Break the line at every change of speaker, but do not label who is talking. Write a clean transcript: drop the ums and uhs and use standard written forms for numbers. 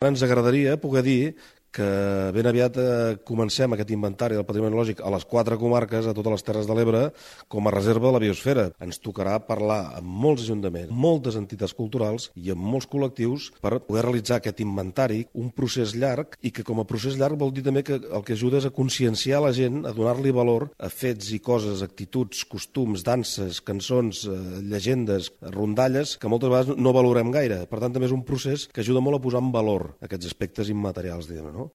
Ens agradaria poder dir que ben aviat comencem aquest inventari del patrimoni lògic a les 4 comarques, a totes les Terres de l'Ebre, com a reserva de la biosfera. Ens tocarà parlar amb molts ajuntaments, moltes entitats culturals i amb molts col·lectius per poder realitzar aquest inventari, un procés llarg, i que com a procés llarg vol dir també que el que ajuda és a conscienciar la gent, a donar-li valor a fets i coses, actituds, costums, danses, cançons, llegendes, rondalles, que moltes vegades no valorem gaire. Per tant, també és un procés que ajuda molt a posar en valor aquests aspectes immaterials, diguem-ne, no?